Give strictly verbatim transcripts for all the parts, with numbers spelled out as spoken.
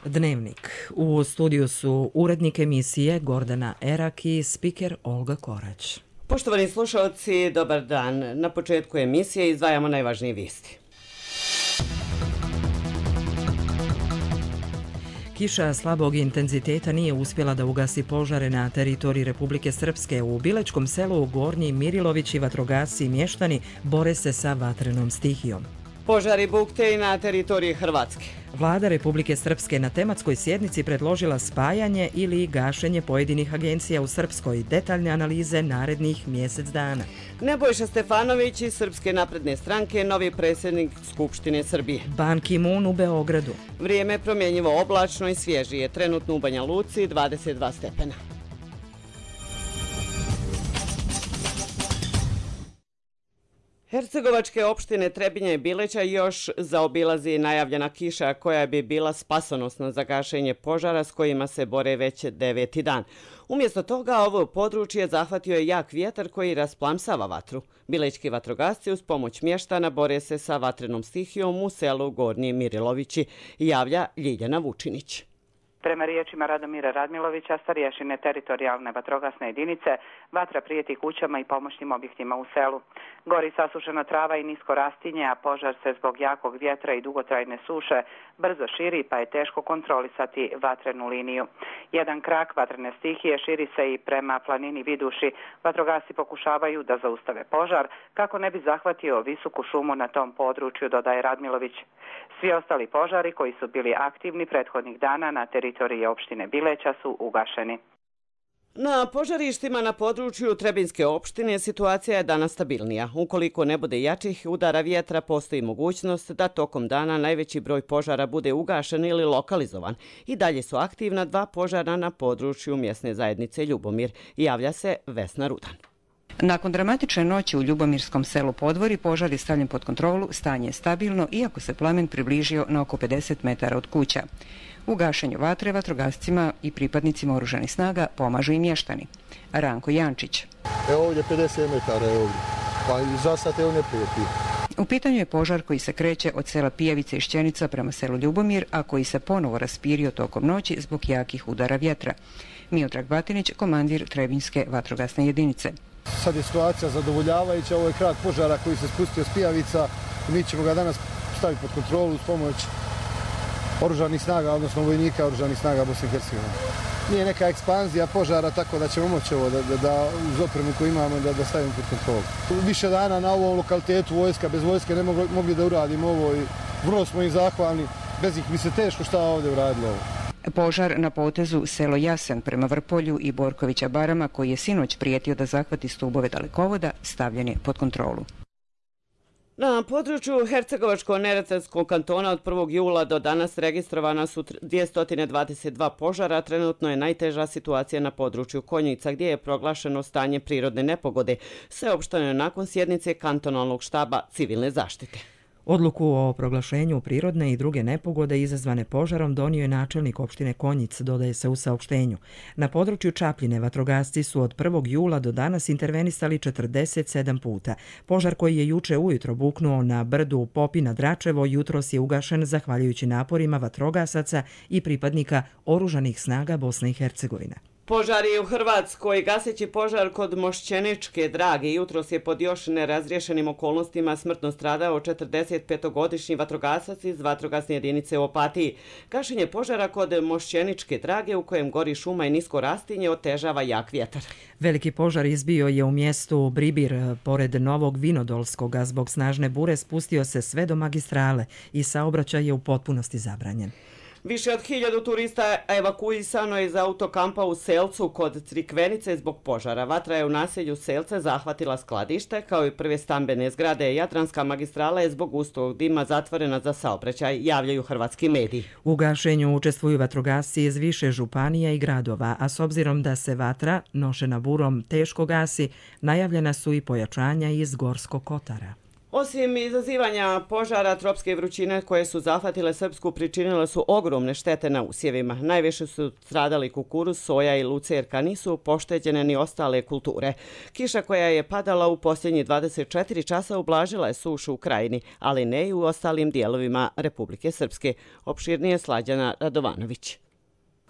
Dnevnik. U studiju su urednik emisije Gordana Erak i spiker Olga Korać. Poštovani slušalci, dobar dan. Na početku emisije izdvajamo najvažnije vijesti. Kiša slabog intenziteta nije uspjela da ugasi požare na teritoriji Republike Srpske. U Bilečkom selu Gornji Mirilović i vatrogasci i mještani bore se sa vatrenom stihijom. Požari bukte i na teritoriji Hrvatske. Vlada Republike Srpske na tematskoj sjednici predložila spajanje ili gašenje pojedinih agencija u Srpskoj. Detaljne analize narednih mjesec dana. Nebojša Stefanović iz Srpske napredne stranke, novi predsjednik Skupštine Srbije. Ban Ki-moon u Beogradu. Vrijeme promjenjivo oblačno i svježije. Trenutno u Banja Luci dvadeset dva stepena. Hercegovačke opštine Trebinje i Bileća još zaobilazi najavljena kiša koja bi bila spasonosna za gašenje požara s kojima se bore već deveti dan. Umjesto toga ovo područje zahvatio je jak vjetar koji rasplamsava vatru. Bilećki vatrogasci uz pomoć mještana bore se sa vatrenom stihijom u selu Gornji Mirilovići, javlja Ljiljana Vučinić. Prema riječima Radomira Radmilovića, starješine teritorijalne vatrogasne jedinice, vatra prijeti kućama i pomoćnim objektima u selu. Gori sasušena trava i nisko rastinje, a požar se zbog jakog vjetra i dugotrajne suše brzo širi, pa je teško kontrolisati vatrenu liniju. Jedan krak vatrene stihije širi se i prema planini Viduši. Vatrogasci pokušavaju da zaustave požar kako ne bi zahvatio visoku šumu na tom području, dodaje Radmilović. Svi ostali požari koji su bili aktivni prethodnih dana na teritoriji opštine Bileća su ugašeni. Na požarištima na području Trebinjske opštine situacija je danas stabilnija. Ukoliko ne bude jačih udara vjetra, postoji mogućnost da tokom dana najveći broj požara bude ugašen ili lokalizovan. I dalje su aktivna dva požara na području mjesne zajednice Ljubomir, javlja se Vesna Rudan. Nakon dramatične noći u Ljubomirskom selu Podvori požar je stavljen pod kontrolu, stanje je stabilno iako se plamen približio na oko pedeset metara od kuća. U gašenju vatre vatrogascima i pripadnicima oružanih snaga pomažu i mještani. Ranko Jančić. Evo ovdje pedeset metara je ovdje, pa i za sad evo ne prijeti. U pitanju je požar koji se kreće od sela Pijevice i Šćenica prema selu Ljubomir, a koji se ponovo raspirio tokom noći zbog jakih udara vjetra. Miodrag Batinić, komandir Trebinjske vatrogasne jedinice. Sad je situacija zadovoljavajuća, ovo je krak požara koji se spustio s Pijavica i mi ćemo ga danas staviti pod kontrolu uz pomoć oružanih snaga, odnosno vojnika oružanih snaga Bosne i Hercegovine. Nije neka ekspanzija požara, tako da ćemo moći ovo da, da, da uz opremu koju imamo da, da stavimo pod kontrolu. Više dana na ovom lokalitetu vojska, bez vojske ne mogli, mogli da uradimo ovo i vrlo smo im zahvalni, bez ih bi se teško šta ovdje uradilo ovo. Požar na potezu selo Jasen prema Vrpolju i Borkovića Barama, koji je sinoć prijetio da zahvati stubove dalekovoda, stavljen je pod kontrolu. Na području Hercegovačko-neretvanskog kantona od prvog jula do danas registrovana su dvjesto dvadeset dva požara. Trenutno je najteža situacija na području Konjica, gdje je proglašeno stanje prirodne nepogode. Sveopšteno je nakon sjednice kantonalnog štaba civilne zaštite. Odluku o proglašenju prirodne i druge nepogode izazvane požarom donio je načelnik opštine Konjic, dodaje se u saopštenju. Na području Čapljine vatrogasci su od prvog jula do danas intervenisali četrdeset sedam puta. Požar koji je juče ujutro buknuo na brdu Popina Dračevo jutros je ugašen zahvaljujući naporima vatrogasaca i pripadnika oružanih snaga Bosne i Hercegovine. Požar je u Hrvatskoj. Gaseći požar kod Mošćeničke Drage jutros je pod još nerazriješenim okolnostima smrtno stradao četrdesetpetogodišnji vatrogasac iz vatrogasne jedinice u Opatiji. Gašenje požara kod Mošćeničke Drage, u kojem gori šuma i nisko rastinje, otežava jak vjetar. Veliki požar izbio je u mjestu Bribir pored Novog Vinodolskog, a zbog snažne bure spustio se sve do magistrale i saobraćaj je u potpunosti zabranjen. Više od hiljadu turista evakuisano je iz autokampa u Selcu kod Crikvenice zbog požara. Vatra je u naselju Selce zahvatila skladište, kao i prve stambene zgrade. Jadranska magistrala je zbog gustog dima zatvorena za saobraćaj, javljaju hrvatski mediji. U gašenju učestvuju vatrogasci iz više županija i gradova, a s obzirom da se vatra, nošena burom, teško gasi, najavljena su i pojačanja iz Gorskog Kotara. Osim izazivanja požara, tropske vrućine koje su zahvatile Srpsku pričinile su ogromne štete na usjevima. Najviše su stradali kukuruz, soja i lucerka, nisu pošteđene ni ostale kulture. Kiša koja je padala u posljednjih dvadeset četiri časa ublažila je sušu u krajini, ali ne i u ostalim dijelovima Republike Srpske. Opširnije Slađana Radovanović.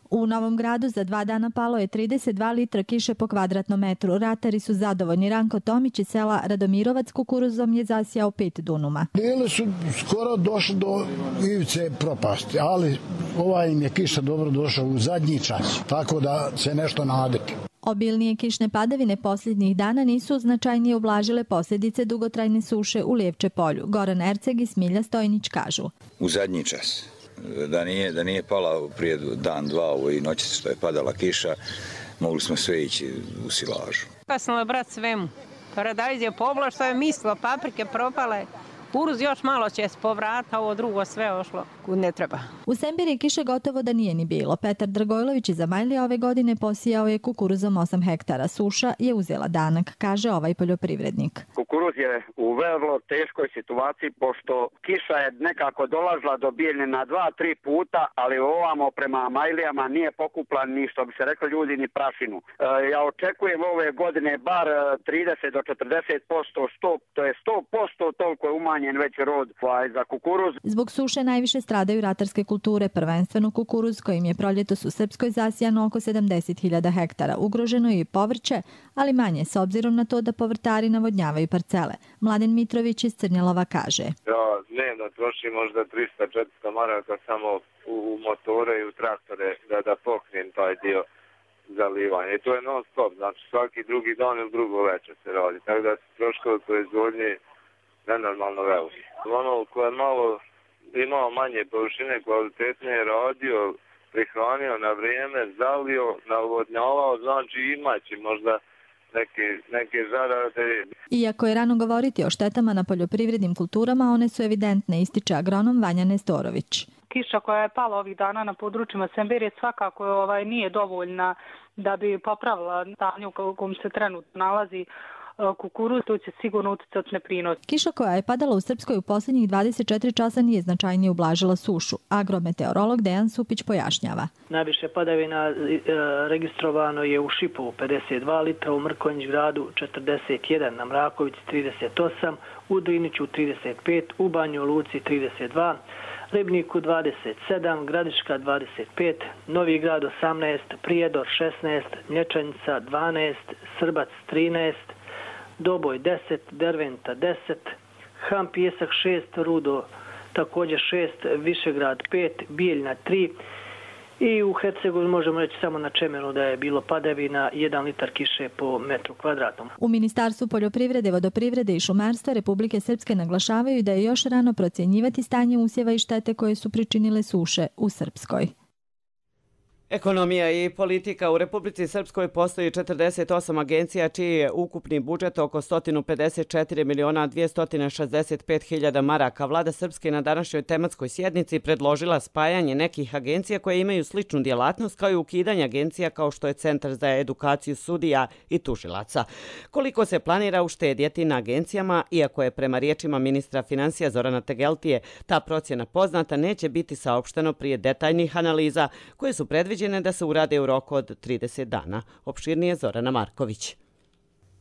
U Novom Gradu za dva dana palo je trideset dva litra kiše po kvadratnom metru. Ratari su zadovoljni. Ranko Tomić iz sela Radomirovac kukuruzom je zasijao pet dunuma. Bili su skoro došli do ivice propasti, ali ovaj im je kiša dobro došao u zadnji čas, tako da se nešto nadati. Obilnije kišne padavine posljednjih dana nisu značajnije ublažile posljedice dugotrajne suše u Lijevče polju. Goran Erceg i Smilja Stojnić kažu. U zadnji čas. Da nije, da nije pala prije dan, dva ovo i noći što je padala kiša, mogli smo sve ići u silažu. Kasnilo brat svemu. Paradajz je pobla što je mislilo, paprike propale. Kuruz još malo će se povrata, ovo drugo sve ošlo kud ne treba. U Sembiri kiše gotovo da nije ni bilo. Petar Dragojlović iz Zamajlija ove godine posijao je kukuruzom osam hektara. Suša je uzela danak, kaže ovaj poljoprivrednik. Kukuruz je u vrlo teškoj situaciji, pošto kiša je nekako dolazila do Bijeljine dva, tri puta, ali ovamo prema Majlijama nije pokupla ni, što bi se reklo ljudi, ni prašinu. E, ja očekujem ove godine bar trideset do četrdeset posto, to je sto posto toliko je umanjen već rod za kukuruz. Zbog suše najviše stradaju ratarske kulture, prvenstveno kukuruz kojim je proljetos u Srpskoj zasijano oko sedamdeset hiljada hektara. Ugroženo je i povrće, ali manje s obzirom na to da povrtari navodnjavaju parcele. Mladen Mitrović iz Crnjelova kaže. Ja dnevno trošim možda trista do četiristo maraka samo u motore i u traktore da, da pokrijem taj dio zalivanja. I to je non stop, znači svaki drugi dan ili drugo večer se radi. Tako da se troškovi proizvodnje nenormalno veliki. Ono koje malo imao manje površine, kvalitetnije radio, prihranio na vrijeme, zalio, navodnjavao, znači imaće možda neke, neke zarade. Iako je rano govoriti o štetama na poljoprivrednim kulturama, one su evidentne, ističe agronom Vanja Nestorović. Kiša koja je pala ovih dana na područjima Sembirije svakako ovaj, nije dovoljna da bi popravila stanje u kojem se trenutno nalazi kukuruz, to će sigurno utjecati na prinos. Kiša koja je padala u Srpskoj u posljednjih dvadeset četiri časa nije značajnije ublažila sušu. Agrometeorolog Dejan Supić pojašnjava. Najviše padavina registrovano je u Šipovu pedeset dva litra, u Mrkonjić gradu četrdeset jedan, na Mrakovici trideset osam, u Driniću trideset pet, u Banju Luci trideset dva, Ribniku dvadeset sedam, Gradiška dvadeset pet, Novi Grad osamnaest, Prijedor šesnaest, Mlječanica dvanaest, Srbac trinaest, Doboj deset, Derventa deset, Ham Pijesak šest, Rudo također šest, Višegrad pet, Bijeljna tri i u Hercegovini možemo reći samo na Čemenu da je bilo padavina jedan litar kiše po metru kvadratnom. U Ministarstvu poljoprivrede, vodoprivrede i šumarstva Republike Srpske naglašavaju da je još rano procjenjivati stanje usjeva i štete koje su pričinile suše u Srpskoj. Ekonomija i politika. U Republici Srpskoj postoji četrdeset osam agencija čiji je ukupni budžet oko sto pedeset četiri miliona dvjesto šezdeset pet hiljada maraka. Vlada Srpske na današnjoj tematskoj sjednici predložila spajanje nekih agencija koje imaju sličnu djelatnost kao i ukidanje agencija kao što je Centar za edukaciju sudija i tužilaca. Koliko se planira uštedjeti na agencijama, iako je prema riječima ministra financija Zorana Tegeltije ta procjena poznata, neće biti saopšteno prije detaljnih analiza koje su predviđene da se urade u roku od trideset dana. Opširnije Zorana Marković.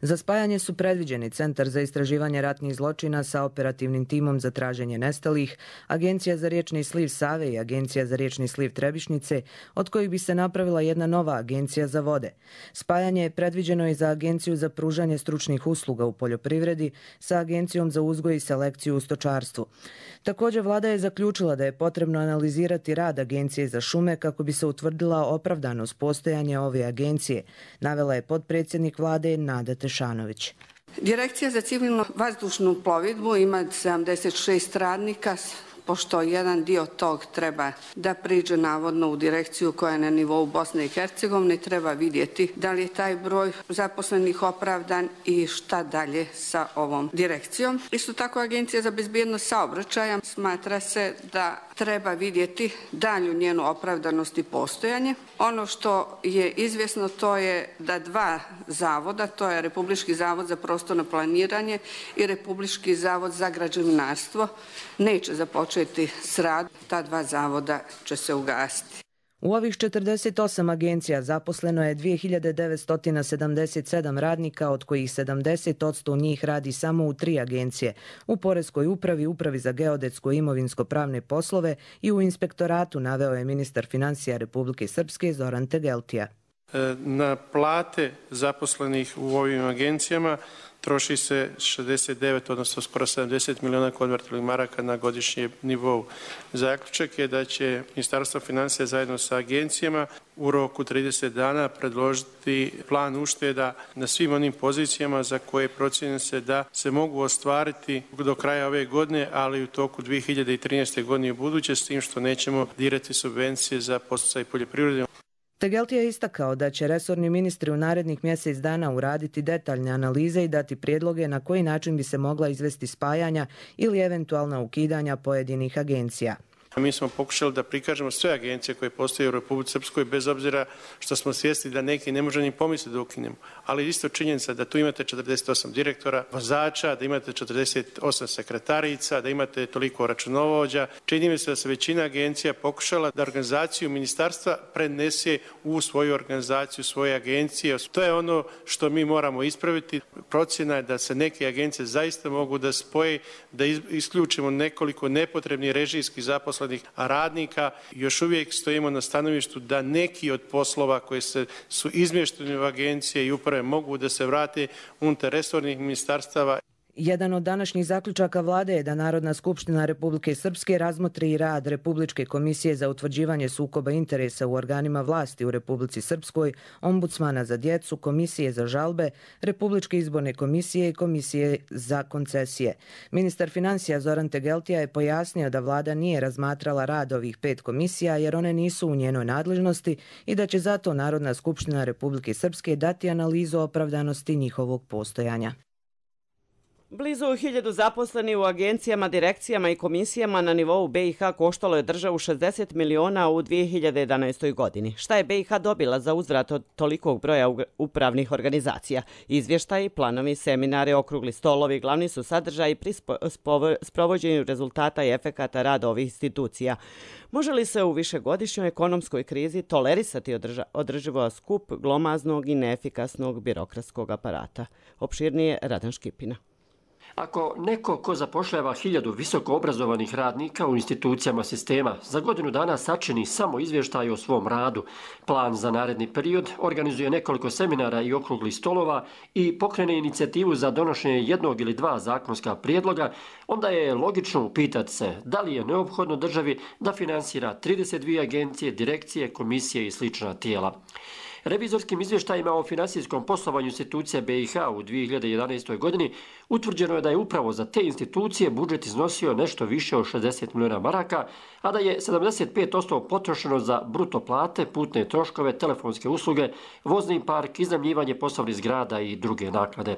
Za spajanje su predviđeni Centar za istraživanje ratnih zločina sa operativnim timom za traženje nestalih, Agencija za riječni sliv Save i Agencija za riječni sliv Trebišnice, od kojih bi se napravila jedna nova agencija za vode. Spajanje je predviđeno i za Agenciju za pružanje stručnih usluga u poljoprivredi sa Agencijom za uzgoj i selekciju u stočarstvu. Također, vlada je zaključila da je potrebno analizirati rad Agencije za šume kako bi se utvrdila opravdanost postojanja ove agencije, navela je potpredsjednik vlade Nada Tešanović. Direkcija za civilnu vazdušnu plovidbu ima sedamdeset šest radnika, pošto jedan dio tog treba da priđe navodno u direkciju koja je na nivou Bosne i Hercegovine, treba vidjeti da li je taj broj zaposlenih opravdan i šta dalje sa ovom direkcijom. Isto tako Agencija za bezbjednost saobraćaja smatra se da treba vidjeti dalju njenu opravdanost i postojanje. Ono što je izvjesno to je da dva zavoda, to je Republički zavod za prostorno planiranje i Republički zavod za građevinarstvo, neće započeti s radom. Ta dva zavoda će se ugasiti. U ovih četrdeset osam agencija zaposleno je dvije hiljade devetsto sedamdeset sedam radnika, od kojih sedamdeset posto njih radi samo u tri agencije, u Poreskoj upravi, Upravi za geodetsko i imovinsko-pravne poslove i u inspektoratu, naveo je ministar financija Republike Srpske Zoran Tegeltija. Na plate zaposlenih u ovim agencijama troši se šezdeset devet, odnosno skoro sedamdeset miliona konvertibilnih maraka na godišnjem nivou. Zaključak je da će Ministarstvo financija zajedno sa agencijama u roku trideset dana predložiti plan ušteda na svim onim pozicijama za koje procjenjuje se da se mogu ostvariti do kraja ove godine, ali u toku dvije hiljade trinaeste. godine u buduće, s tim što nećemo dirati subvencije za podsticaj poljoprivrede. Tegeltija je istakao da će resorni ministri u narednih mjesec dana uraditi detaljne analize i dati prijedloge na koji način bi se mogla izvesti spajanja ili eventualna ukidanja pojedinih agencija. Mi smo pokušali da prikažemo sve agencije koje postoje u Republici Srpskoj, bez obzira što smo svjesni da neki ne može ni pomisliti da ukinemo. Ali isto činjenica da tu imate četrdeset osam direktora, vozača, da imate četrdeset osam sekretarica, da imate toliko računovođa. Čini mi se da se većina agencija pokušala da organizaciju ministarstva prenese u svoju organizaciju, svoje agencije. To je ono što mi moramo ispraviti. Procjena je da se neke agencije zaista mogu da spoje, da isključimo nekoliko nepotrebnih režijskih zaposlenih radnika. Još uvijek stojimo na stanovištu da neki od poslova koji se, su izmješteni u agencije i uprave mogu da se vrate unutar resornih ministarstava. Jedan od današnjih zaključaka vlade je da Narodna skupština Republike Srpske razmotri i rad Republičke komisije za utvrđivanje sukoba interesa u organima vlasti u Republici Srpskoj, Ombudsmana za djecu, Komisije za žalbe, Republičke izborne komisije i Komisije za koncesije. Ministar financija Zoran Tegeltija je pojasnio da vlada nije razmatrala rad ovih pet komisija jer one nisu u njenoj nadležnosti i da će zato Narodna skupština Republike Srpske dati analizu opravdanosti njihovog postojanja. Blizu hiljadu zaposleni u agencijama, direkcijama i komisijama na nivou B i H koštalo je državu šezdeset miliona u dvije hiljade jedanaestoj. godini. Šta je B i H dobila za uzvrat od tolikog broja upravnih organizacija? Izvještaji, planovi, seminare, okrugli stolovi, glavni su sadržaji pri sprovođenju rezultata i efekata rada ovih institucija. Može li se u višegodišnjoj ekonomskoj krizi tolerisati održivo skup glomaznog i neefikasnog birokratskog aparata? Opširnije Radan Škipina. Ako neko ko zapošljava hiljadu visoko obrazovanih radnika u institucijama sistema za godinu dana sačini samo izvještaj o svom radu, plan za naredni period, organizuje nekoliko seminara i okruglih stolova i pokrene inicijativu za donošenje jednog ili dva zakonska prijedloga, onda je logično upitati se da li je neophodno državi da finansira trideset dvije agencije, direkcije, komisije i slična tijela. Revizorskim izvještajima o finansijskom poslovanju institucija B i H u dvije hiljade jedanaestoj. godini utvrđeno je da je upravo za te institucije budžet iznosio nešto više od šezdeset miliona maraka, a da je sedamdeset pet posto potrošeno za bruto plate, putne troškove, telefonske usluge, vozni park, iznajmljivanje poslovnih zgrada i druge naknade.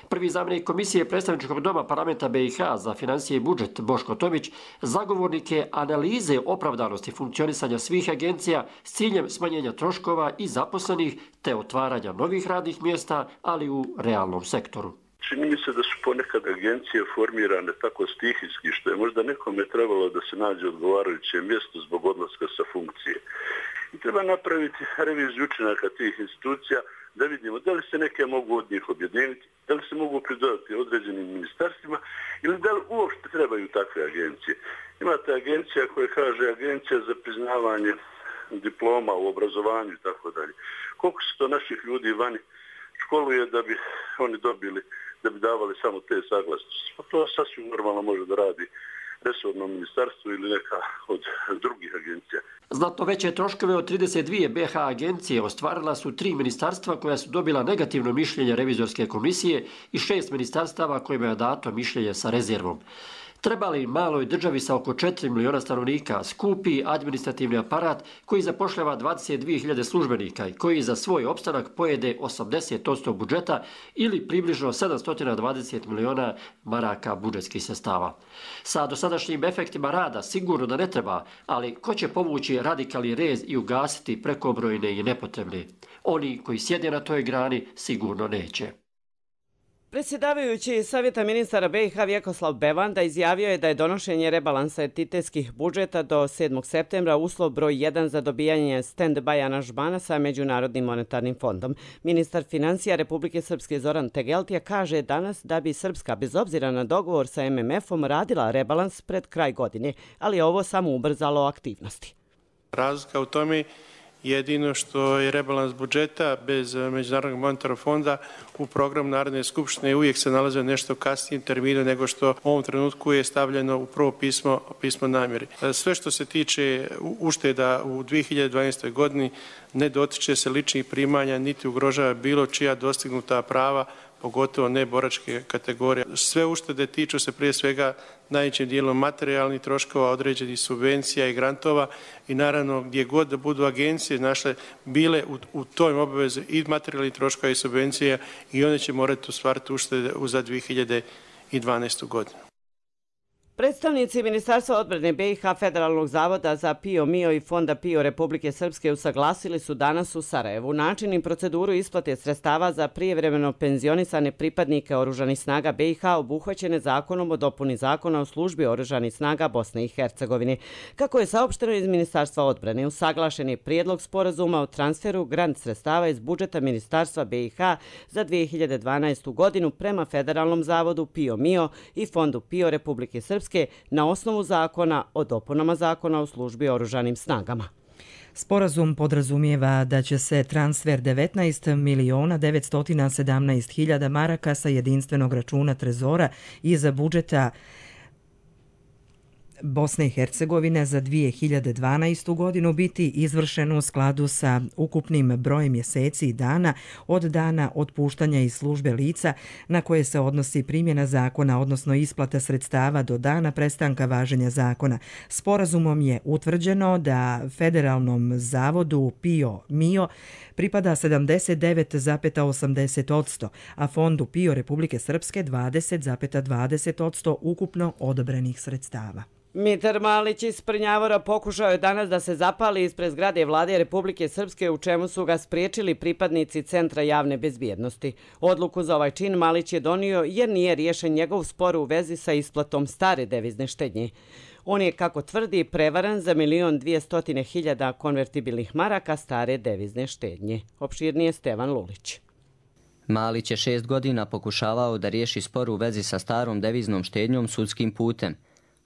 Prvi zamjenik Komisije predstavničkog doma parlamenta B i H za financije i budžet Boško Tomić zagovornik je analize opravdanosti funkcionisanja svih agencija s ciljem smanjenja troškova i zaposlenih te otvaranja novih radnih mjesta, ali u realnom sektoru. Čini mi se da su ponekad agencije formirane tako stihijski što je možda nekome trebalo da se nađe odgovarajuće mjesto zbog odlaska sa funkcije. I treba napraviti reviziju učinaka tih institucija da vidimo da li se neke mogu od njih objediniti, da li se mogu pridodati određenim ministarstvima ili da li uopšte trebaju takve agencije. Imate agencija koja kaže agencija za priznavanje diploma u obrazovanju i tako dalje. Koliko se to naših ljudi vani školuje da bi oni dobili, da bi davali samo te saglasnosti. Pa to sasvim normalno može da radi resorno ministarstvo ili neka od drugih agencija. Znatno veće troškove od trideset dvije B H agencije ostvarila su tri ministarstva koja su dobila negativno mišljenje revizorske komisije i šest ministarstava kojima je dato mišljenje sa rezervom. Treba li maloj državi sa oko četiri miliona stanovnika skupi administrativni aparat koji zapošljava dvadeset dvije hiljade službenika i koji za svoj opstanak pojede osamdeset posto budžeta ili približno sedamsto dvadeset miliona maraka budžetskih sredstava? Sa dosadašnjim efektima rada sigurno da ne treba, ali ko će povući radikalni rez i ugasiti prekobrojne i nepotrebne? Oni koji sjede na toj grani sigurno neće. Predsjedavajući Savjeta ministara B i H Vjekoslav Bevanda izjavio je da je donošenje rebalansa entitetskih budžeta do sedmog septembra uslov broj jedan za dobijanje stand-by aranžmana sa Međunarodnim monetarnim fondom. Ministar financija Republike Srpske Zoran Tegeltija kaže danas da bi Srpska bez obzira na dogovor sa M M F-om radila rebalans pred kraj godine, ali je ovo samo ubrzalo aktivnosti. Razlika u tome jedino što je rebalans budžeta bez Međunarodnog monetarnog fonda u programu Narodne skupštine uvijek se nalaze nešto kasnijem terminu nego što u ovom trenutku je stavljeno u prvo pismo, pismo namjeri. Sve što se tiče ušteda u dvije hiljade dvanaestoj godini ne dotiče se ličnih primanja niti ugrožava bilo čija dostignuta prava, pogotovo ne boračke kategorije. Sve uštede tiču se prije svega najvećim dijelom materijalnih troškova, određenih subvencija i grantova i naravno gdje god da budu agencije našle bile u, u toj obavezi i materijalnih troškova i subvencija i one će morati ostvariti uštede za dvije hiljade dvanaestu godinu. Predstavnici Ministarstva odbrane B i H Federalnog zavoda za PIO MIO i Fonda PIO Republike Srpske usaglasili su danas u Sarajevu način i proceduru isplate sredstava za prijevremeno penzionisane pripadnike Oružanih snaga B i H obuhvaćene zakonom o dopuni zakona o službi Oružanih snaga Bosne i Hercegovine. Kako je saopšteno iz Ministarstva odbrane, usaglašen je prijedlog sporazuma o transferu grant sredstava iz budžeta Ministarstva B i H za dvije hiljade dvanaestu godinu prema Federalnom zavodu PIO MIO i Fondu PIO Republike Srpske na osnovu zakona o dopunama zakona o službi Oružanim snagama. Sporazum podrazumijeva da će se transfer devetnaest miliona devetsto sedamnaest hiljada maraka sa jedinstvenog računa Trezora iz budžeta Bosne i Hercegovine za dvije hiljade dvanaestu godinu biti izvršeno u skladu sa ukupnim brojem mjeseci i dana od dana otpuštanja iz službe lica na koje se odnosi primjena zakona, odnosno isplata sredstava do dana prestanka važenja zakona. Sporazumom je utvrđeno da Federalnom zavodu PIO MIO pripada sedamdeset devet zarez osamdeset posto, a Fondu PIO Republike Srpske dvadeset zarez dvadeset posto ukupno odobrenih sredstava. Mitar Malić iz Prnjavora pokušao je danas da se zapali ispred zgrade Vlade Republike Srpske, u čemu su ga spriječili pripadnici Centra javne bezbjednosti. Odluku za ovaj čin Malić je donio jer nije riješen njegov spor u vezi sa isplatom stare devizne štednje. On je, kako tvrdi, prevaren za milion dvijestotine hiljada konvertibilnih maraka stare devizne štednje. Opširnije Stevan Lulić. Malić je šest godina pokušavao da riješi spor u vezi sa starom deviznom štednjom sudskim putem,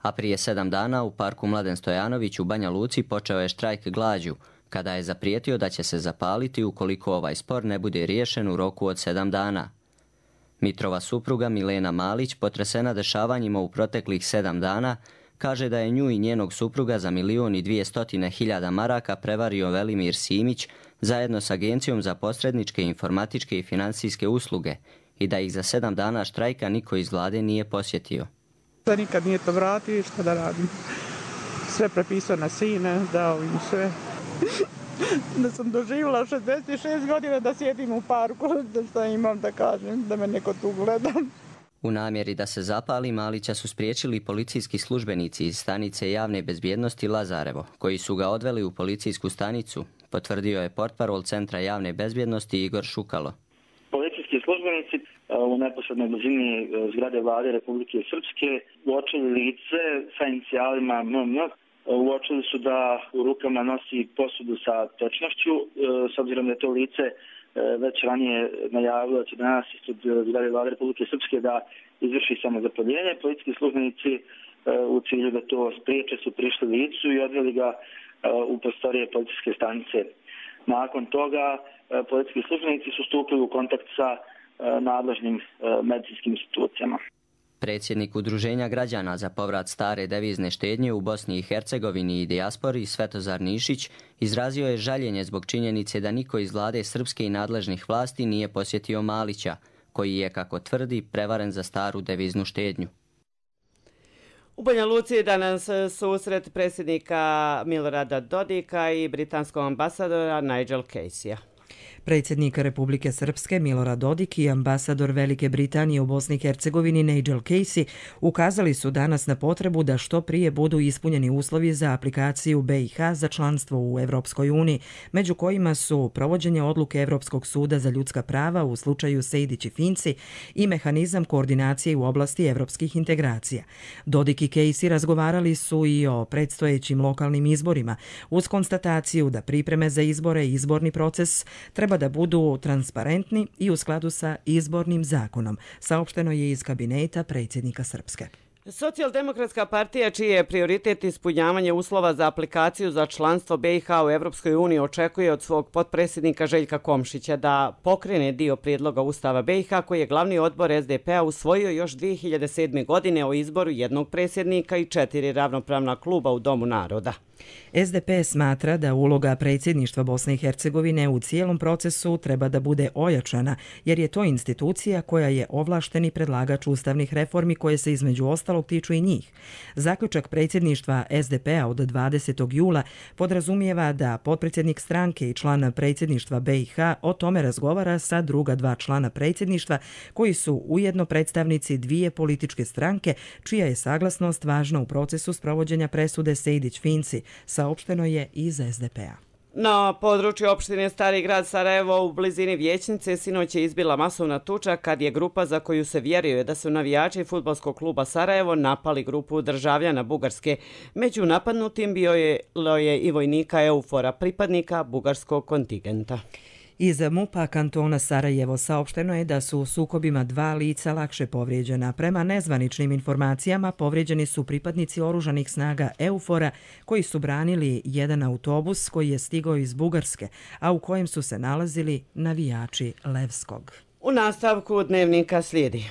a prije sedam dana u parku Mladen Stojanović u Banja Luci počeo je štrajk glađu, kada je zaprijetio da će se zapaliti ukoliko ovaj spor ne bude riješen u roku od sedam dana. Mitrova supruga Milena Malić, potresena dešavanjima u proteklih sedam dana, kaže da je nju i njenog supruga za milion i dvijestotine hiljada maraka prevario Velimir Simić zajedno s Agencijom za posredničke, informatičke i financijske usluge i da ih za sedam dana štrajka niko iz vlade nije posjetio. Da nikad nije to vratio i što da radim. Sve prepisao na sine, dao im sve. Da sam doživjela šezdeset šest godina da sjedim u parku, da što imam da kažem, da me neko tu gleda. U namjeri da se zapali Malića su spriječili policijski službenici iz stanice javne bezbjednosti Lazarevo, koji su ga odveli u policijsku stanicu, potvrdio je portparol Centra javne bezbjednosti Igor Šukalo. Policijski službenici u neposrednoj blizini zgrade Vlade Republike Srpske uočili lice sa inicijalima M M. Uočili su da u rukama nosi posudu sa tečnošću, s obzirom da je to lice već ranije najavilo da će danas ispred zgrade Vlade Republike Srpske da izvrši samozapaljenje. Policijski službenici u cilju da to spriječe su prišli licu i odveli ga u prostorije policijske stanice. Nakon toga policijski službenici su stupili u kontakt sa nadležnim medicinskim institucijama. Predsjednik Udruženja građana za povrat stare devizne štednje u Bosni i Hercegovini i dijaspori Svetozar Nišić izrazio je žaljenje zbog činjenice da niko iz vlade srpske i nadležnih vlasti nije posjetio Malića, koji je, kako tvrdi, prevaren za staru deviznu štednju. U Banja Luci je danas susret predsjednika Milorada Dodika i britanskog ambasadora Nigel Caseyja. Predsjednik Republike Srpske Milorad Dodik i ambasador Velike Britanije u Bosni i Hercegovini Nigel Casey ukazali su danas na potrebu da što prije budu ispunjeni uslovi za aplikaciju B i H za članstvo u Evropskoj uniji, među kojima su provođenje odluke Evropskog suda za ljudska prava u slučaju Sejdić i Finci i mehanizam koordinacije u oblasti evropskih integracija. Dodik i Casey razgovarali su i o predstojećim lokalnim izborima, uz konstataciju da pripreme za izbore i izborni proces treba da budu transparentni i u skladu sa izbornim zakonom, saopšteno je iz kabineta predsjednika Srpske. Socijaldemokratska partija, čiji je prioritet ispunjavanje uslova za aplikaciju za članstvo B i H u Evropskoj uniji, očekuje od svog potpredsjednika Željka Komšića da pokrene dio prijedloga Ustava B i H koji je glavni odbor S D P-a usvojio još dvije hiljade sedme. godine o izboru jednog predsjednika i četiri ravnopravna kluba u Domu naroda. S D P smatra da uloga predsjedništva Bosne i Hercegovine u cijelom procesu treba da bude ojačana, jer je to institucija koja je ovlašteni predlagač ustavnih reformi koje se između ostalog tiču i njih. Zaključak predsjedništva S D P-a od dvadesetog jula podrazumijeva da potpredsjednik stranke i član predsjedništva B i H o tome razgovara sa druga dva člana predsjedništva koji su ujedno predstavnici dvije političke stranke čija je saglasnost važna u procesu sprovođenja presude Sejdić-Finci, saopšteno je iz S D P-a. Na području opštine Stari grad Sarajevo u blizini Vijećnice sinoć je izbila masovna tuča kad je grupa za koju se vjeruje da su navijači fudbalskog kluba Sarajevo napali grupu državljana Bugarske. Među napadnutim bio je, je i vojnika Eufora, pripadnika bugarskog kontingenta. Iz MUP-a kantona Sarajevo saopšteno je da su u sukobima dva lica lakše povrijeđena. Prema nezvaničnim informacijama povrijeđeni su pripadnici oružanih snaga Eufora koji su branili jedan autobus koji je stigao iz Bugarske, a u kojem su se nalazili navijači Levskog. U nastavku dnevnika slijedi.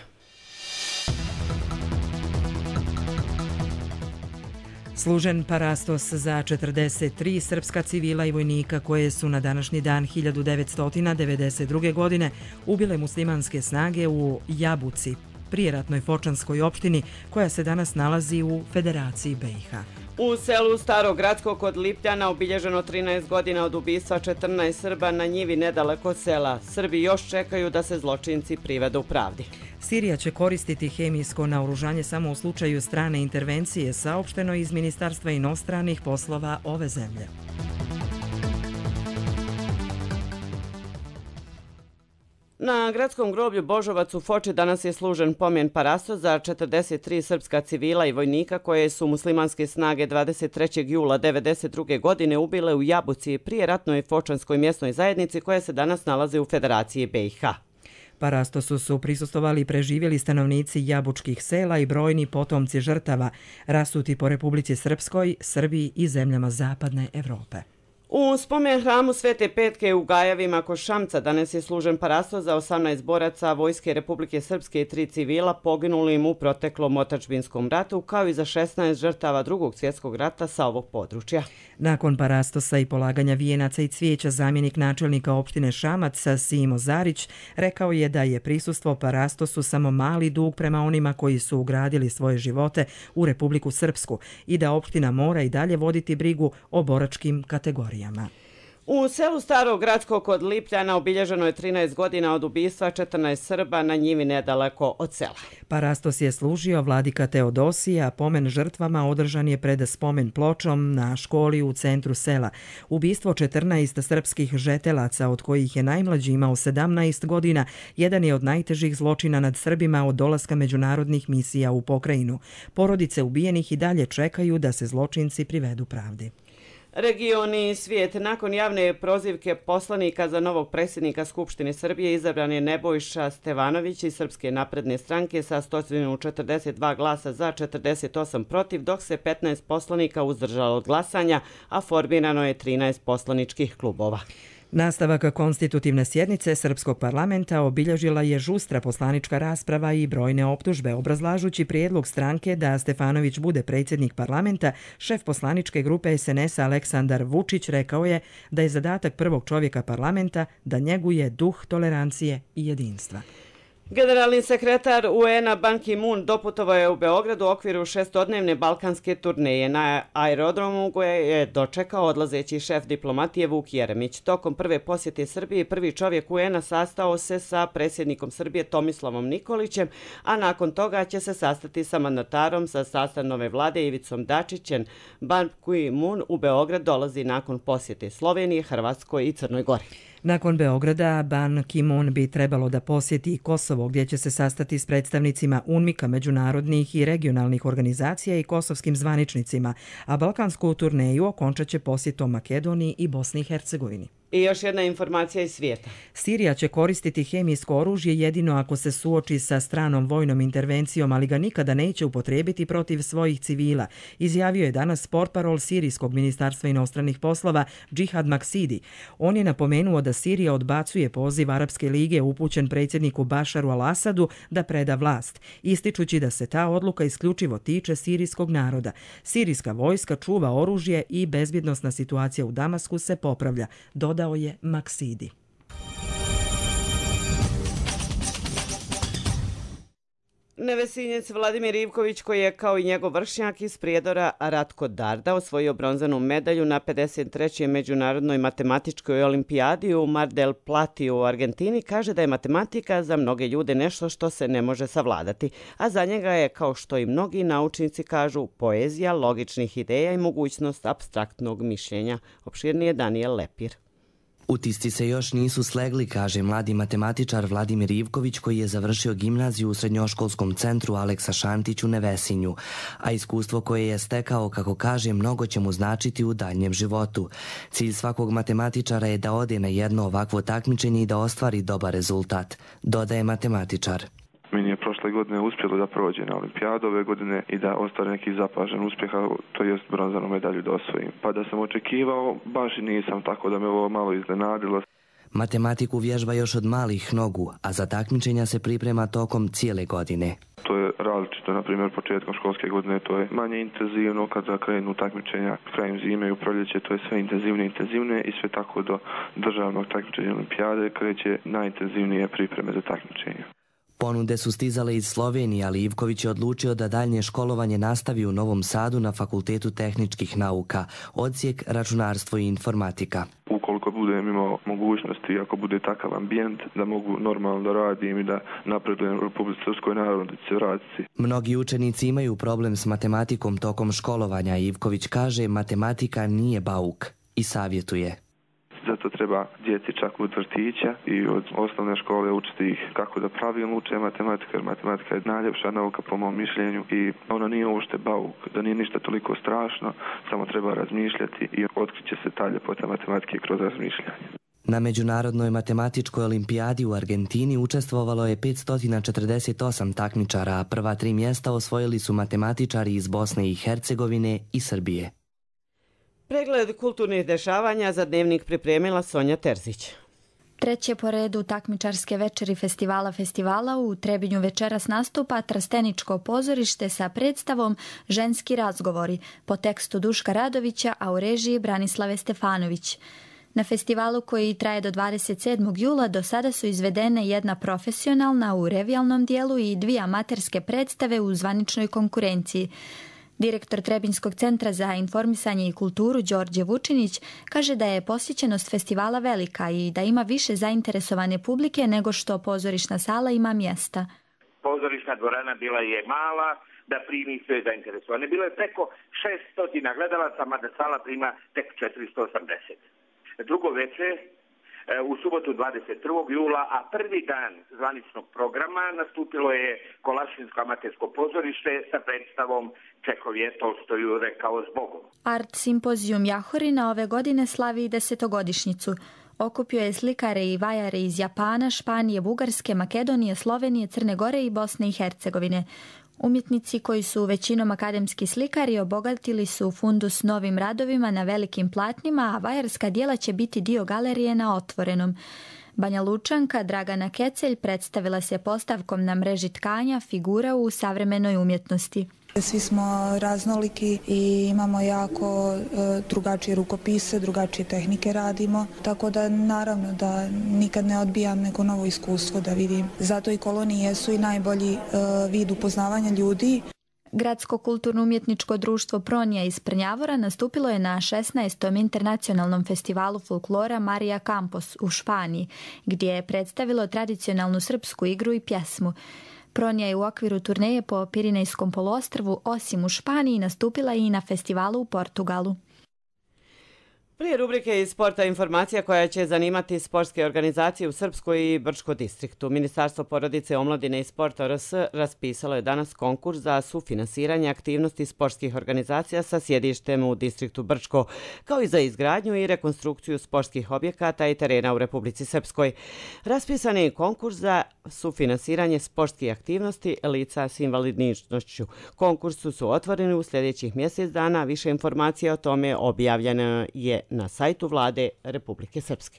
Služen parastos za četrdeset tri srpska civila i vojnika koje su na današnji dan hiljadu devetsto devedeset druge. godine ubile muslimanske snage u Jabuci, prijeratnoj Fočanskoj opštini koja se danas nalazi u Federaciji B i H. U selu Starogradsko kod Lipljana obilježeno trinaest godina od ubistva četrnaest Srba na njivi nedaleko od sela. Srbi još čekaju da se zločinci privedu pravdi. Sirija će koristiti hemijsko naoružanje samo u slučaju strane intervencije, saopšteno iz Ministarstva inostranih poslova ove zemlje. Na gradskom groblju Božovac u Foči danas je služen pomen parastos za četrdeset tri srpska civila i vojnika koje su muslimanske snage dvadeset trećeg jula devedeset druge. godine ubile u Jabuci, prijeratnoj Fočanskoj mjesnoj zajednici koja se danas nalazi u Federaciji B i H. Parastosu su prisustvovali i preživjeli stanovnici jabučkih sela i brojni potomci žrtava, rasuti po Republici Srpskoj, Srbiji i zemljama zapadne Evrope. U spomen hramu Svete Petke u Gajevima kod Šamca danas je služen parastos za osamnaest boraca Vojske Republike Srpske i tri civila poginulim u proteklom otadžbinskom ratu, kao i za šesnaest žrtava drugog svjetskog rata sa ovog područja. Nakon parastosa i polaganja vijenaca i cvijeća, zamjenik načelnika opštine Šamac Simo Zarić rekao je da je prisustvo parastosu samo mali dug prema onima koji su ugradili svoje živote u Republiku Srpsku i da opština mora i dalje voditi brigu o boračkim kategorijama. U selu Staro Gradsko kod Lipljana obilježeno je trinaest godina od ubistva četrnaest Srba na njivi nedaleko od sela. Parastos je služio vladika Teodosija, a pomen žrtvama održan je pred spomen pločom na školi u centru sela. Ubistvo četrnaest srpskih žetelaca, od kojih je najmlađi imao sedamnaest godina, jedan je od najtežih zločina nad Srbima od dolaska međunarodnih misija u pokrajinu. Porodice ubijenih i dalje čekaju da se zločinci privedu pravdi. Regioni i svijet. Nakon javne prozivke poslanika za novog predsjednika Skupštine Srbije izabran je Nebojša Stevanović iz Srpske napredne stranke sa sto četrdeset dva glasa za, četrdeset osam protiv, dok se petnaest poslanika uzdržalo od glasanja, a formirano je trinaest poslaničkih klubova. Nastavak konstitutivne sjednice Srpskog parlamenta obilježila je žustra poslanička rasprava i brojne optužbe. Obrazlažući prijedlog stranke da Stefanović bude predsjednik parlamenta, šef poslaničke grupe S N S-a Aleksandar Vučić rekao je da je zadatak prvog čovjeka parlamenta da njeguje duh tolerancije i jedinstva. Generalni sekretar U N-a Ban Ki-moon doputovao je u Beograd u okviru šestodnevne balkanske turneje. Na aerodromu koje je dočekao odlazeći šef diplomatije Vuk Jeremić. Tokom prve posjete Srbiji prvi čovjek U N-a sastao se sa predsjednikom Srbije Tomislavom Nikolićem, a nakon toga će se sastati sa mandatarom sa sastava nove vlade Ivicom Dačićem. Ban Ki-moon u Beograd dolazi nakon posjete Slovenije, Hrvatskoj i Crnoj Gori. Nakon Beograda, Ban Ki-moon bi trebalo da posjeti i Kosovo, gdje će se sastati s predstavnicima UNMIK-a, međunarodnih i regionalnih organizacija i kosovskim zvaničnicima, a balkansku turneju okončat će posjetom Makedoniji i Bosni i Hercegovini. I još jedna informacija iz svijeta. Sirija će koristiti hemijsko oružje jedino ako se suoči sa stranom vojnom intervencijom, ali ga nikada neće upotrijebiti protiv svojih civila, izjavio je danas portparol Sirijskog ministarstva inostranih poslova Džihad Maksidi. On je napomenuo da Sirija odbacuje poziv Arapske lige upućen predsjedniku Bašaru al-Asadu da preda vlast, ističući da se ta odluka isključivo tiče sirijskog naroda. Sirijska vojska čuva oružje i bezbjednosna situacija u Damasku se popravlja, dodao je Maksidi. Nevesinjec Vladimir Ivković, koji je kao i njegov vršnjak iz Prijedora Ratko Darda osvojio bronzanu medalju na pedeset trećoj međunarodnoj matematičkoj olimpijadi u Mar del Platiju u Argentini, kaže da je matematika za mnoge ljude nešto što se ne može savladati, a za njega je, kao što i mnogi naučnici kažu, poezija logičnih ideja i mogućnost apstraktnog mišljenja. Opširnije Daniel Lepir. Utisci se još nisu slegli, kaže mladi matematičar Vladimir Ivković, koji je završio gimnaziju u srednjoškolskom centru Aleksa Šantić u Nevesinju, a iskustvo koje je stekao, kako kaže, mnogo će mu značiti u daljnjem životu. Cilj svakog matematičara je da ode na jedno ovakvo takmičenje i da ostvari dobar rezultat, dodaje matematičar. Meni je prošle godine uspjelo da prođe na olimpijadu ove godine i da ostvari neki zapažen uspjeh, to jest bronzanu medalju da osvojim. Pa da sam očekivao, baš i nisam, tako da me ovo malo iznenadilo. Matematiku vježba još od malih nogu, a za takmičenja se priprema tokom cijele godine. To je različito, na primjer početkom školske godine to je manje intenzivno, kada krenu takmičenja krajem zime i u proljeće to je sve intenzivnije i intenzivnije i sve tako do državnog takmičenja olimpijade kreće najintenzivnije pripreme za takmičenja. Ponude su stizale iz Slovenije, ali Ivković je odlučio da daljnje školovanje nastavi u Novom Sadu na Fakultetu tehničkih nauka, odsjek računarstvo i informatika. Ukoliko budem imao mogućnosti, ako bude takav ambijent, da mogu normalno da radim i da napredujem u Republici Srpskoj, naravno da će se vratiti. Mnogi učenici imaju problem s matematikom tokom školovanja. Ivković kaže, matematika nije bauk i savjetuje. Zato treba djeci čak od vrtića i od osnovne škole učiti ih kako da pravilno uče matematiku, jer matematika je najljepša nauka po mom mišljenju i ona nije uopšte bauk, da nije ništa toliko strašno, samo treba razmišljati i otkriće se ta ljepota matematike kroz razmišljanje. Na Međunarodnoj matematičkoj olimpijadi u Argentini učestvovalo je petsto četrdeset osam takmičara, a prva tri mjesta osvojili su matematičari iz Bosne i Hercegovine i Srbije. Pregled kulturnih dešavanja za Dnevnik pripremila Sonja Terzić. Treće po redu takmičarske večeri festivala festivala u Trebinju večeras nastupa Trsteničko pozorište sa predstavom Ženski razgovori po tekstu Duška Radovića, a u režiji Branislave Stefanović. Na festivalu koji traje do dvadeset sedmog jula do sada su izvedene jedna profesionalna u revijalnom dijelu i dvije amaterske predstave u zvaničnoj konkurenciji. Direktor Trebinjskog centra za informisanje i kulturu Đorđe Vučinić kaže da je posjećenost festivala velika i da ima više zainteresovane publike nego što pozorišna sala ima mjesta. Pozorišna dvorana bila je mala da primi sve zainteresovane. Bilo je preko šesto gledalaca, mada sala prima tek četiristo osamdeset. Drugo večer u subotu dvadeset prvog jula, a prvi dan zvaničnog programa nastupilo je Kolašinsko amatersko pozorište sa predstavom Čehov je Tolstoju rekao zbogom. Art simpozijum Jahorina ove godine slavi desetogodišnjicu. Okupio je slikare i vajare iz Japana, Španije, Bugarske, Makedonije, Slovenije, Crne Gore i Bosne i Hercegovine. Umjetnici koji su većinom akademski slikari obogatili su fundus novim radovima na velikim platnima, a vajarska dijela će biti dio galerije na otvorenom. Banja Lučanka Dragana Kecelj predstavila se postavkom na mreži tkanja figura u savremenoj umjetnosti. Svi smo raznoliki i imamo jako drugačije rukopise, drugačije tehnike radimo, tako da naravno da nikad ne odbijam neko novo iskustvo da vidim. Zato i kolonije su i najbolji vid upoznavanja ljudi. Gradsko kulturno-umjetničko društvo Pronija iz Prnjavora nastupilo je na šesnaestom internacionalnom festivalu folklora Marija Campos u Španiji, gdje je predstavilo tradicionalnu srpsku igru i pjesmu. Pronija je u okviru turneje po Pirinejskom poluostrvu osim u Španiji nastupila i na festivalu u Portugalu. Prije rubrike iz sporta informacija koja će zanimati sportske organizacije u Srpskoj i Brčko distriktu. Ministarstvo porodice, omladine i sporta R S raspisalo je danas konkurs za sufinansiranje aktivnosti sportskih organizacija sa sjedištem u distriktu Brčko, kao i za izgradnju i rekonstrukciju sportskih objekata i terena u Republici Srpskoj. Raspisan je konkurs za sufinansiranje sportskih aktivnosti lica s invalidnošću. Konkursu su otvoreni u sljedećih mjesec dana. Više informacija o tome objavljeno je na sajtu Vlade Republike Srpske.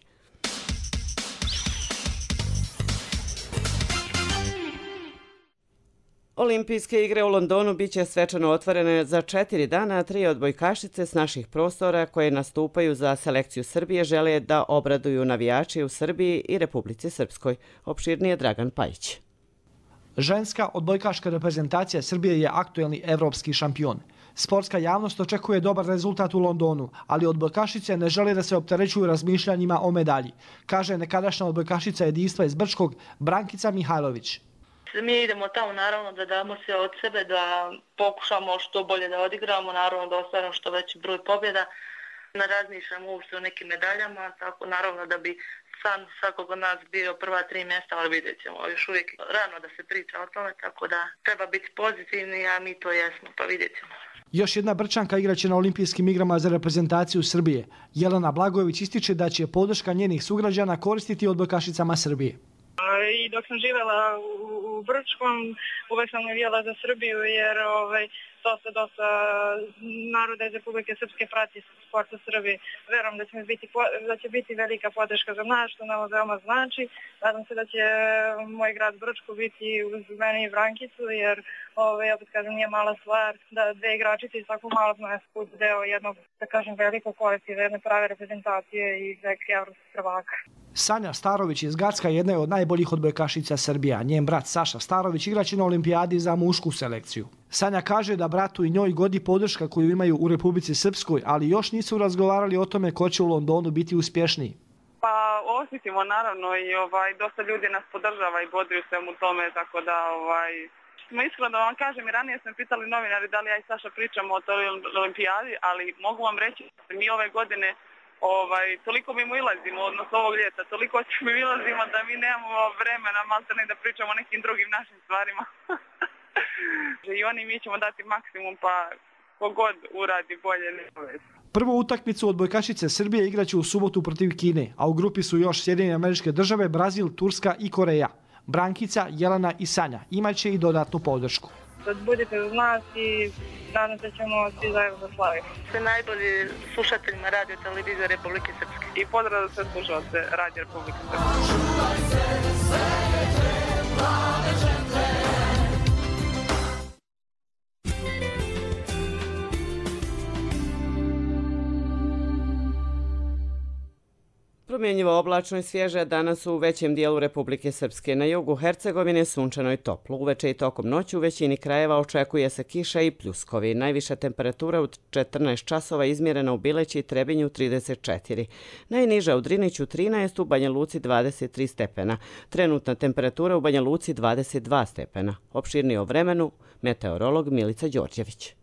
Olimpijske igre u Londonu biće svečano otvorene za četiri dana, a tri odbojkašice s naših prostora koje nastupaju za selekciju Srbije žele da obraduju navijači u Srbiji i Republici Srpskoj. Opširnije Dragan Pajić. Ženska odbojkaška reprezentacija Srbije je aktuelni evropski šampion. Sportska javnost očekuje dobar rezultat u Londonu, ali odbojkašice ne žele da se opterećuju razmišljanjima o medalji, kaže nekadašnja odbojkašica jedinstva iz Brčkog Brankica Mihajlović. Mi idemo tamo naravno da damo sve od sebe, da pokušamo što bolje da odigramo, naravno da ostvarimo što veći broj pobjeda. Ne razmišljamo uopšte o nekim medaljama, tako naravno da bi san svakog od nas bio prva tri mjesta, ali vidjet ćemo. Još uvijek rano da se priča o tome, tako da treba biti pozitivni, a mi to jesmo, pa vidjet ćemo. Još jedna Brčanka igraće na olimpijskim igrama za reprezentaciju Srbije. Jelena Blagojević ističe da će podrška njenih sugrađana koristiti odbojkašicama Srbije. I dok sam živjela u Brčkom, uvek sam navijala za Srbiju jer ovaj, dosta, dosta naroda iz Republike Srpske prati sport u Srbiji. Verujem da će biti, da će biti velika podrška za nas, što nam veoma znači. Nadam se da će moj grad Brčko biti uz mene i Brankicu, jer ovaj, opet kažem, nije mala stvar da dve igračice iz svakog malog mesta budu deo jednog, da kažem, velikog kolektiva, jedne prave reprezentacije i velike evropskih prvaka. Sanja Starović iz Gacka jedna je od najboljih odbojkašica Srbija. Njen brat Saša Starović igraće na olimpijadi za mušku selekciju. Sanja kaže da bratu i njoj godi podrška koju imaju u Republici Srpskoj, ali još nisu razgovarali o tome ko će u Londonu biti uspješniji. Pa osjetimo naravno i ovaj, dosta ljudi nas podržava i bodri u svemu tome, tako da ovaj, smo iskreno da vam kažem i ranije smo pitali novinari da li ja i Saša pričamo o toj olimpijadi, ali mogu vam reći da mi ove godine Ovaj, toliko mi mu ilazimo, odnosno ovog ljeta, toliko mi ilazimo da mi nemamo vremena maltene da pričamo o nekim drugim našim stvarima. I oni mi ćemo dati maksimum, pa kogod uradi bolje nego već. Prvu utakmicu odbojkašice Srbije igraće u subotu protiv Kine, a u grupi su još Sjedinjene Američke Države, Brazil, Turska i Koreja. Brankica, Jelena i Sanja imaće i dodatnu podršku. Budite uz nas i nadam se ćemo svi zajedno da slavimo. Sve najbolji slušateljima Radio Televizije Republike Srpske. I pozdrav za sve slušalce Radio Republike Srpske. Promjenjivo oblačno i svježe danas u većem dijelu Republike Srpske. Na jugu Hercegovine sunčano i toplo. Uveče i tokom noći u većini krajeva očekuje se kiša i pljuskovi. Najviša temperatura u četrnaest časova izmjerena u Bileći i Trebinju trideset četiri. Najniža u Driniću trinaest, u Banja Luci dvadeset tri stepena. Trenutna temperatura u Banja Luci dvadeset dva stepena. Opširnije o vremenu, meteorolog Milica Đorđević.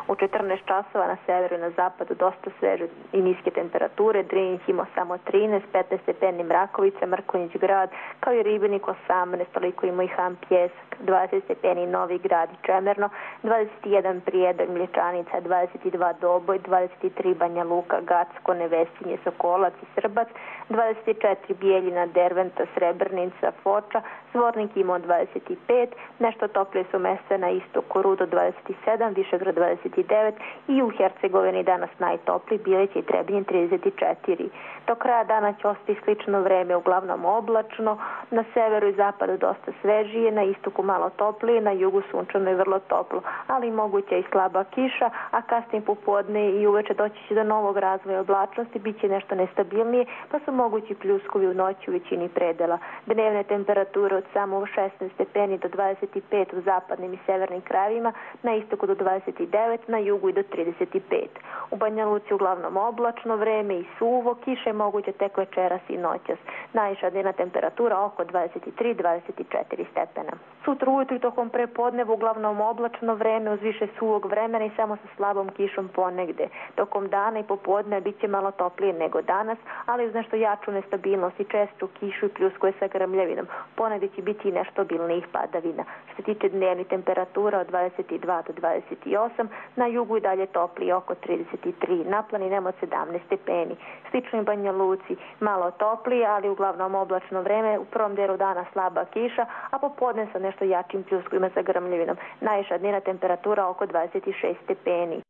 U četrnaest časova na severu i na zapadu dosta sveže i niske temperature. Drinić ima samo trinaest, petnaest stepeni Mrakovica, Mrkonjić grad, kao i Ribenik osamnaest, toliko ima i Ham Pjesak, dvadeset stepeni Novi grad i Čemerno, dvadeset jedan Prijedor, Mlječanica, dvadeset dva Doboj, dvadeset tri Banja Luka, Gacko, Nevesinje, Sokolac i Srbac, dvadeset četiri Bijeljina, Derventa, Srebrnica, Foča, Zvornik ima dvadeset pet, nešto toplije su mjesta na istoku, Rudo dvadeset sedam, Višegrad dvadeset devet i u Hercegovini danas najtopliji, Bileće i Trebinje trideset četiri. Do kraja dana će ostati slično vreme, uglavnom oblačno, na severu i zapadu dosta svežije, na istoku malo toplije, na jugu sunčano i vrlo toplo, ali moguće i slaba kiša, a kasnije popodne i uveče doći će do novog razvoja oblačnosti, bit će nešto nestabilnije, pa su mogući pljuskovi u noći u većini predela. Dnevne temperature od samo šesnaest stepeni do dvadeset pet u zapadnim i severnim krajevima, na istoku do dvadeset devet, na jugu i do trideset pet. U Banja Luci uglavnom oblačno vreme i suvo, kiše je moguće tek večeras i noćas. Najviša dnevna temperatura oko dvadeset tri do dvadeset četiri stepena. Sutra ujutru i tokom prepodneva uglavnom oblačno vreme uz više suvog vremena i samo sa slabom kišom ponegde. Tokom dana i popodne bit će malo toplije nego danas, ali uz nešto jaču nestabilnost i čestu kišu i pljuskuje sa grmljavinom. Ponegde će biti i nešto obilnijih padavina. Što se tiče dnevnih temperatura od dvadeset dva do dvadeset osam, na jugu i dalje toplije oko trideset tri, na planinama od sedamnaest stepeni. Slično i Banja Luci, malo toplije, ali uglavnom oblačno vreme, u prvom delu dana slaba kiša, a popodne sa nešto jačim pljuskovima sa grmljavinom. Najviša dnevna temperatura oko dvadeset šest stepeni.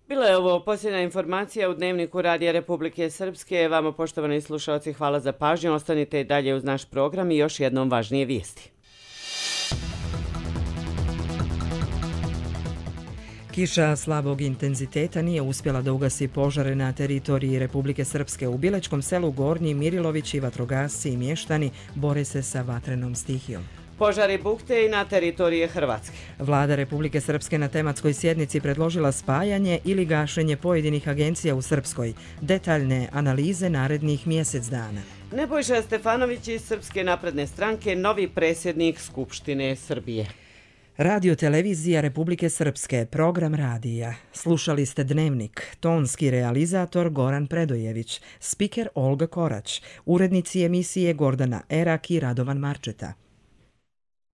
Bila je ovo posljednja informacija u Dnevniku Radija Republike Srpske. Vama, poštovani slušalci, hvala za pažnju. Ostanite dalje uz naš program i još jednom važnije vijesti. Kiša slabog intenziteta nije uspjela da ugasi požare na teritoriji Republike Srpske. U Bilečkom selu Gornji Mirilovići, vatrogasci i mještani bore se sa vatrenom stihijom. Požari bukte i na teritorije Hrvatske. Vlada Republike Srpske na tematskoj sjednici predložila spajanje ili gašenje pojedinih agencija u Srpskoj. Detaljne analize narednih mjesec dana. Nebojša Stefanović iz Srpske napredne stranke, novi predsjednik Skupštine Srbije. Radio televizija Republike Srpske, program radija. Slušali ste Dnevnik, tonski realizator Goran Predojević, spiker Olga Korać, urednici emisije Gordana Erak i Radovan Marčeta.